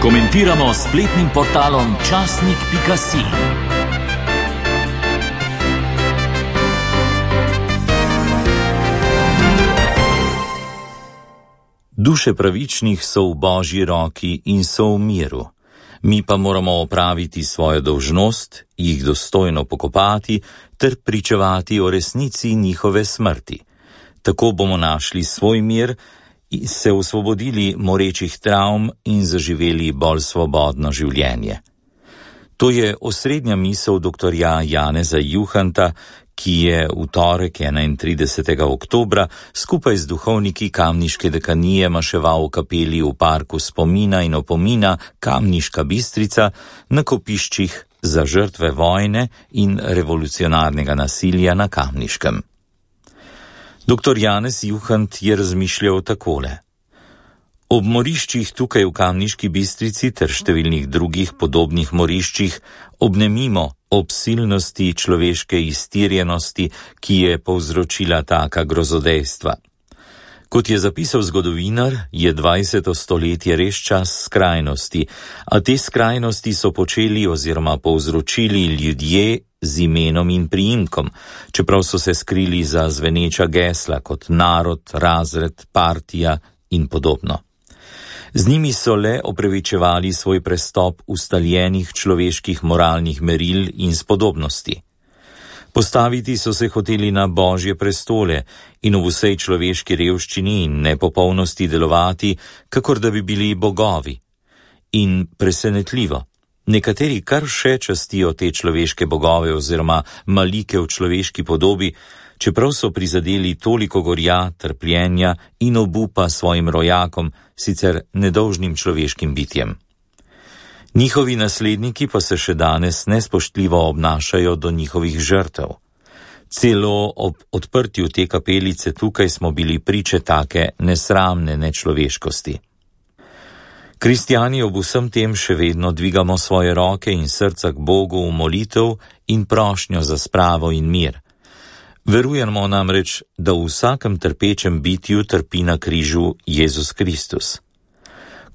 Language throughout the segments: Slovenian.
Komentiramo s spletnim portalom časnik.si. Duše pravičnih so v Božji roki in so v miru. Mi pa moramo opraviti svojo dolžnost, jih dostojno pokopati ter pričevati o resnici njihove smrti. Tako bomo našli svoj mir, se osvobodili morečih travm in zaživeli bolj svobodno življenje. To je osrednja misel doktorja Janeza Juhanta, ki je v torek 31. oktobra skupaj z duhovniki Kamniške dekanije maševal v kapeli v parku spomina in opomina Kamniška Bistrica na kopiščih za žrtve vojne in revolucionarnega nasilja na Kamniškem. Dr. Janez Juhant je razmišljal takole. Ob moriščih tukaj v Kamniški Bistrici ter številnih drugih podobnih moriščih obnemimo ob silnosti človeške iztirjenosti, ki je povzročila taka grozodejstva. Kot je zapisal zgodovinar, je 20. stoletje res čas skrajnosti, a te skrajnosti so počeli oziroma povzročili ljudje z imenom in priimkom, čeprav so se skrili za zveneča gesla kot narod, razred, partija in podobno. Z njimi so le opravičevali svoj prestop ustaljenih človeških moralnih meril in spodobnosti. Postaviti so se hoteli na Božje prestole in v vsej človeški revščini in nepopolnosti delovati, kakor da bi bili bogovi. In presenetljivo, nekateri kar še častijo te človeške bogove oziroma malike v človeški podobi, čeprav so prizadeli toliko gorja, trpljenja in obupa svojim rojakom, sicer nedolžnim človeškim bitjem. Njihovi nasledniki pa se še danes nespoštljivo obnašajo do njihovih žrtev. Celo ob odprtju te kapelice tukaj smo bili priče take nesramne nečloveškosti. Kristjani ob vsem tem še vedno dvigamo svoje roke in srca k Bogu v molitev in prošnjo za spravo in mir. Verujemo namreč, da v vsakem trpečem bitju trpi na križu Jezus Kristus.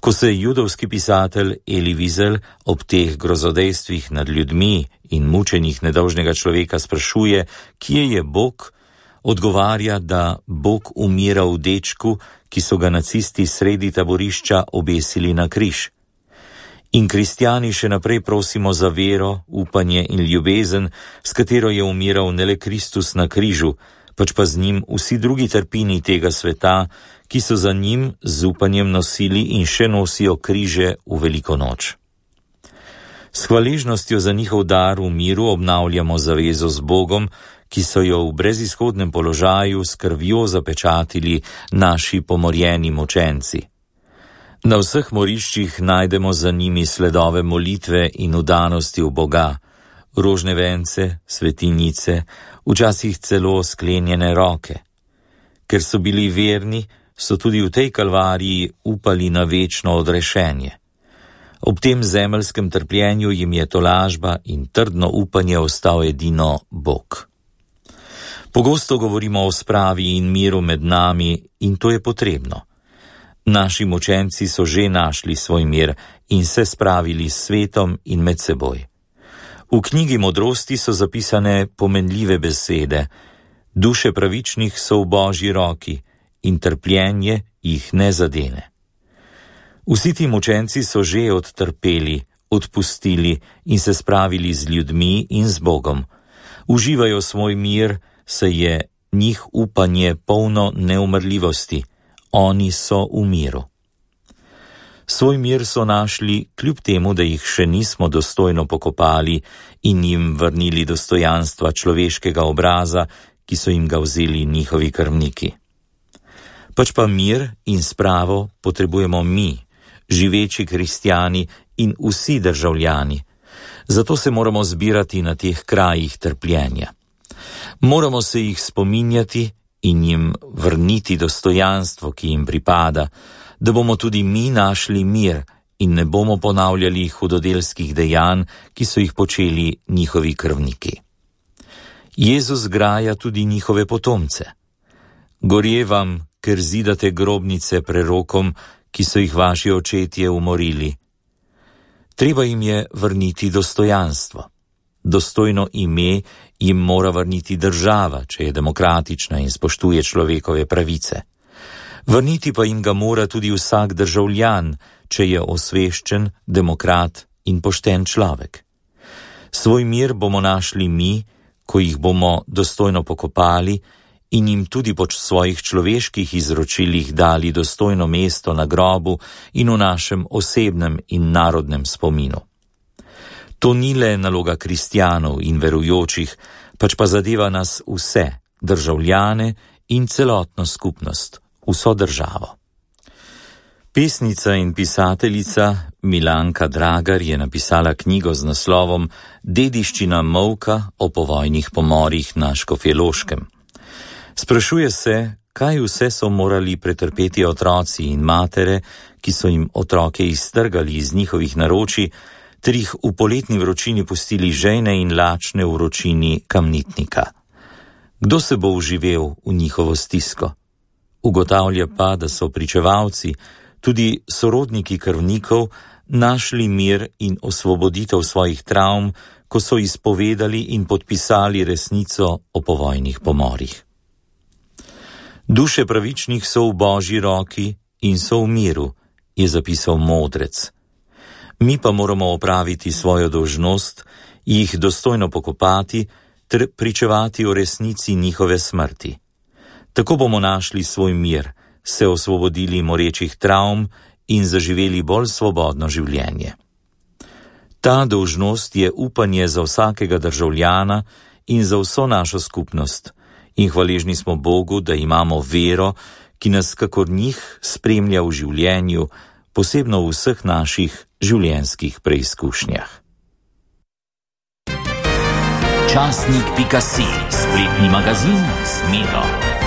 Ko se judovski pisatelj Eli Wiesel ob teh grozodejstvih nad ljudmi in mučenjih nedolžnega človeka sprašuje, kje je Bog, odgovarja, da Bog umira v dečku, ki so ga nacisti sredi taborišča obesili na križ. In kristjani še naprej prosimo za vero, upanje in ljubezen, s katero je umiral ne le Kristus na križu, pač pa z njim vsi drugi trpini tega sveta, ki so za njim z upanjem nosili in še nosijo križe v veliko noč. S hvaležnostjo za njihov dar v miru obnavljamo zavezo z Bogom, ki so jo v brezizhodnem položaju s krvjo zapečatili naši pomorjeni mučenci. Na vseh moriščih najdemo za njimi sledove molitve in vdanosti v Boga, rožne vence, svetinjice, včasih celo sklenjene roke. Ker so bili verni, so tudi v tej kalvariji upali na večno odrešenje. Ob tem zemeljskem trpljenju jim je tolažba in trdno upanje ostal edino Bog. Pogosto govorimo o spravi in miru med nami in to je potrebno. Naši mučenci so že našli svoj mir in se spravili s svetom in med seboj. V knjigi modrosti so zapisane pomenljive besede. Duše pravičnih so v Božji roki in trpljenje jih ne zadene. Vsi ti mučenci so že odtrpeli, odpustili in se spravili z ljudmi in z Bogom. Uživajo svoj mir, saj je njih upanje polno neumrljivosti. Oni so v miru. Svoj mir so našli, kljub temu, da jih še nismo dostojno pokopali in jim vrnili dostojanstva človeškega obraza, ki so jim ga vzeli njihovi krvniki. Pač pa mir in spravo potrebujemo mi, živeči kristjani in vsi državljani. Zato se moramo zbirati na teh krajih trpljenja. Moramo se jih spominjati in jim vrniti dostojanstvo, ki jim pripada, da bomo tudi mi našli mir in ne bomo ponavljali hudodelskih dejanj, ki so jih počeli njihovi krvniki. Jezus graja tudi njihove potomce. Gorje vam, ker zidate grobnice prerokom, ki so jih vaši očetje umorili. Treba jim je vrniti dostojanstvo. Dostojno ime jim mora vrniti država, če je demokratična in spoštuje človekove pravice. Vrniti pa jim ga mora tudi vsak državljan, če je osveščen, demokrat in pošten človek. Svoj mir bomo našli mi, ko jih bomo dostojno pokopali in jim tudi po svojih človeških izročilih dali dostojno mesto na grobu in v našem osebnem in narodnem spominu. To ni le naloga kristjanov in verujočih, pač pa zadeva nas vse, državljane in celotno skupnost, vso državo. Pesnica in pisateljica Milanka Dragar je napisala knjigo z naslovom Dediščina molka o povojnih pomorih na Škofjeloškem. Sprašuje se, kaj vse so morali pretrpeti otroci in matere, ki so jim otroke iztrgali iz njihovih naročij, ter jih v poletni vročini pustili žejne in lačne v vročini Kamnitnika. Kdo se bo vživel v njihovo stisko? Ugotavlja pa, da so pričevalci, tudi sorodniki krvnikov, našli mir in osvoboditev svojih travm, ko so izpovedali in podpisali resnico o povojnih pomorih. Duše pravičnih so v Božji roki in so v miru, je zapisal modrec. Mi pa moramo opraviti svojo dolžnost, jih dostojno pokopati ter pričevati o resnici njihove smrti. Tako bomo našli svoj mir, se osvobodili morečih travm in zaživeli bolj svobodno življenje. Ta dolžnost je upanje za vsakega državljana in za vso našo skupnost in hvaležni smo Bogu, da imamo vero, ki nas kakor njih spremlja v življenju, posebno v vseh naših življenjskih preizkušnjah. Časnik.si, spletni magazin s Miro.